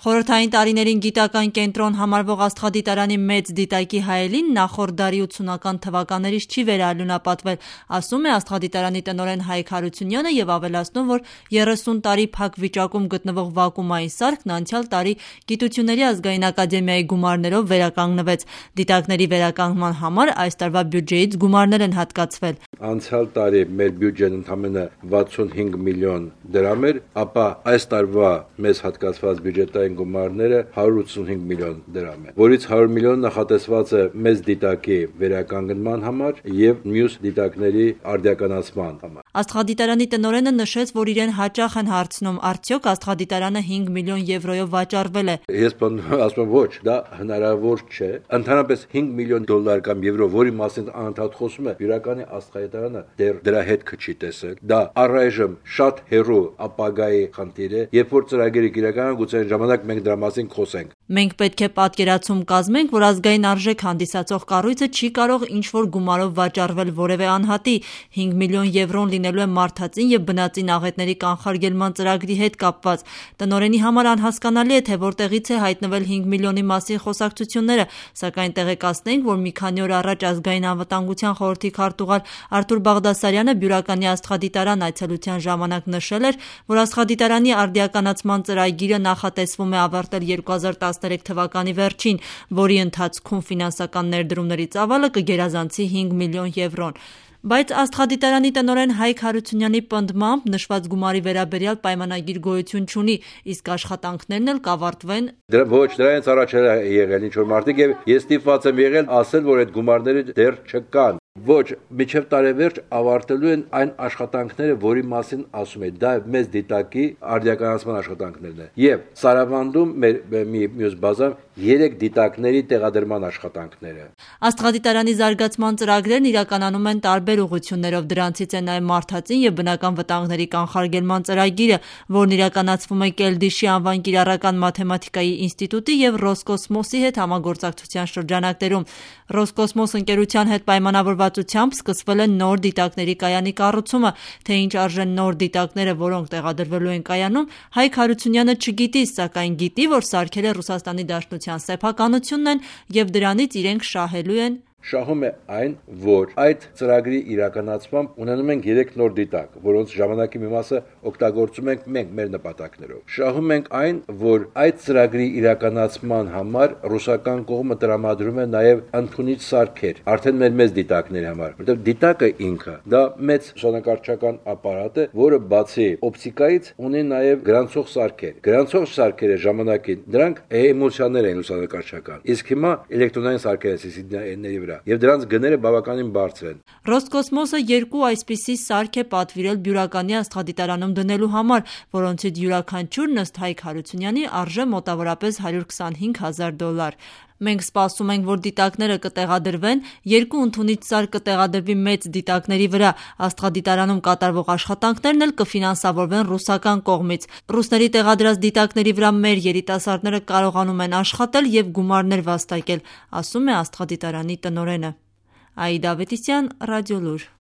Խորհրդային տարիներին գիտական կենտրոն համարվող Աստղադիտարանի մեծ դիտակի հայելին նախորդ դարի 80-ական թվականներից չի վերաարյունապատվել, ասում է Աստղադիտարանի տնօրեն Հայկ Հարությունյանը եւ ավելացնում, որ 30 տարի փակ վիճակում գտնվող վակուումային սարքն անցյալ տարի Գիտությունների ազգային ակադեմիայի գումարներով վերականգնվեց։ Դիտակների վերականգնման համար այս տարվա բյուջեից գումարներ են հատկացվել։ Անցյալ տարի մեր բյուջեն ընդամենը 65 միլիոն դրամ էր, ապա այս տարվա մեզ հատկացված բյուջետային գումարները 185 միլիոն դրամ է, որից 100 միլիոն նախատեսված է մեծ դիտակի վերականգնման համար եւ մյուս դիտակների արդիականացման համար։ Աստղադիտարանի տնօրենը նշեց, որ իրեն հաճախ են հարցնում, արդյոք Աստղադիտարանը 5 միլիոն եվրոյով վաճառվել է։ Ես ասում եմ ոչ, դա հնարավոր չէ։ Ընդհանրապես 5 միլիոն դոլար կամ եվրո, որի մասին անընդհատ խոսում է, իրականի Աստղադիտարանը դեռ դրա հետքը չի տեսել։ Դա առայժմ շատ հեռու ապագայի խնդիր է, երբ որ ծրագիրը իրականանա, գուցե այն ժամանակ մենք դրա մասին խոսենք։ Մենք պետք է պատկերացում կազմենք, որ ազգային արժեք հանդիսացող կառույցը չի կարող ինչ-որ գումարով վաճառվել որևէ անհատի։ 5 միլիոն եվրոն լինելու է մարդածին եւ բնածին աղետների կանխարգելման ծրագրի հետ կապված։ Տնօրենի համար անհասկանալի է, թե որտեղից է հայտնվել 5 միլիոնի մասին խոսակցությունները, սակայն տեղեկացնենք, որ մի քանի օր առաջ ազգային անվտանգության խորհրդի քարտուղար Արթուր Բաղդասարյանը Բյուրականի Աստղադիտարան այցելության ժամանակ նշել էր, որ Աստղադիտարանի արդիականացման ծրագիրը նախատեսվում է ավարտել 2013 թվականի վերջին, որի ընթացքում ֆինանսական ներդրումների ծավալը կգերազանցի 5 միլիոն եվրոն։ Բայց Աստղադիտարանի տնօրեն Հայկ Հարությունյանի պնդմամբ նշված գումարի վերաբերյալ պայմանագիր գոյություն չունի, իսկ աշխատանքներն էլ կավարտվեն։ Ոչ, դրանից առաջ եղել ինչ-որ մարդիկ եւ ես ստիպված եմ եղել ասել, որ այդ գումարները դեռ չկան։ Ոչ, մինչև տարեվերջ ավարտելու են այն աշխատանքները, որի մասին ասում է, դա մեծ դիտակի արդիականացման աշխատանքներն է։ Եվ Սարավանդում մեր մյուս բազան 3 դիտակների տեղադրման աշխատանքները։ Աստղադիտարանի զարգացման ծրագրերն իրականանում են տարբեր ուղղություններով, դրանցից է նաև մարդածին եւ բնական վտանգների կանխարգելման ծրագիրը, որն իրականացվում է Կելդիշի անվան կիրառական մաթեմատիկայի ինստիտուտի եւ Ռոսկոսմոսի հետ համագործակցության շրջանակներում։ Ռոսկոսմոս ընկերության հետ պայմանավորվածությամբ սկսվել է նոր դիտակների կայանի կառուցումը, թե ինչ արժեն նոր դիտակները, որոնք տեղադրվելու են կայանում, Հայկ Հարությունյանը չգիտի, սակայն գիտի, որ սարքել է Ռուսաստանի Դաշնության սեփականությունն են եւ դրանից իրենք շահելու են։ Շահում է այն, որ այդ ծրագրի իրականացմամբ ունենում ենք 3 նոր դիտակ, որոնց ժամանակի մի մասը օգտագործում ենք մենք մեր նպատակներով։ Շահում ենք այն, որ այդ ծրագրի իրականացման համար ռուսական կողմը տրամադրում է նաև ընդունիչ սարքեր, արդեն մեր մեծ դիտակների համար, որտեղ դիտակը ինքը դա մեծ ուսումնակարչական ապարատ է, որը բացի օպտիկայից ունի նաև գրանցող սարքեր։ Գրանցող սարքերը ժամանակին դրանք էմոցիաներ են ուսումնակարչական։ Իսկ հիմա էլեկտրոնային սարքեր են վրա եւ դրանց գները բավականին բարձր են։ Ռոսկոսմոսը 2 այսպիսի սարք է պատվիրել Բյուրականի Աստղադիտարանում դնելու համար, որոնցից յուրաքանչյուրն ըստ Հայկ Հարությունյանի արժե մոտավորապես $125,000։ Մենք սպասում ենք, որ դիտակները կտեղադրվեն, 2 ընդունիչ սարք կտեղադրվի մեծ դիտակների վրա։ Աստղադիտարանում կատարվող աշխատանքներն էլ կֆինանսավորվեն ռուսական կողմից։ Ռուսների տեղադրած դիտակների վրա մեր երիտասարդները կարողանում են աշխատել եւ գումարներ վաստակել, ասում է Աստղադիտարանի տնօրենը։ Աիդա Ավետիսյան, Ռադիոլուր։